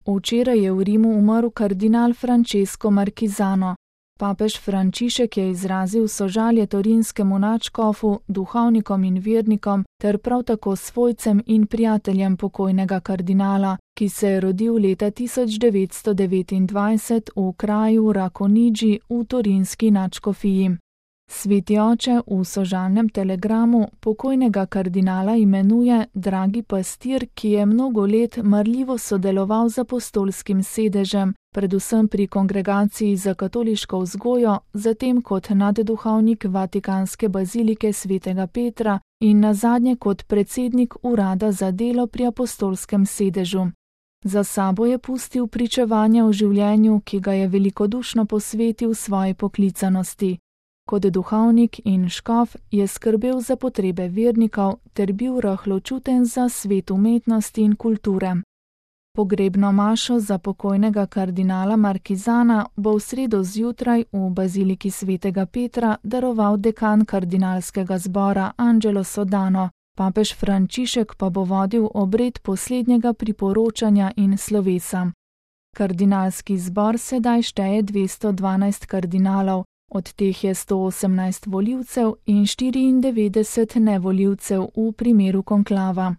Včeraj je v Rimu umrl kardinal Francesco Marquisano. Papež Frančišek je izrazil sožalje torinskemu nadškofu, duhovnikom in vernikom ter prav tako svojcem in prijateljem pokojnega kardinala, ki se je rodil leta 1929 v kraju Racconigi v torinski nadškofiji. Sveti oče v sožalnem telegramu pokojnega kardinala imenuje dragi pastir, ki je mnogo let marljivo sodeloval z apostolskim sedežem, predvsem pri kongregaciji za katoliško vzgojo, zatem kot nadduhovnik Vatikanske bazilike svetega Petra in nazadnje kot predsednik urada za delo pri apostolskem sedežu. Za sabo je pustil pričevanja o življenju, ki ga je velikodušno posvetil svoji poklicanosti. Kot duhovnik in škof je skrbel za potrebe vernikov ter bil rahločuten za svet umetnosti in kulture. Pogrebno mašo za pokojnega kardinala Marquisana bo v sredo zjutraj v baziliki svetega Petra daroval dekan kardinalskega zbora Angelo Sodano, papež Frančišek pa bo vodil obred poslednjega priporočanja in slovesa. Kardinalski zbor sedaj šteje 212 kardinalov, od teh je 118 volivcev in 94 nevolivcev v primeru konklava.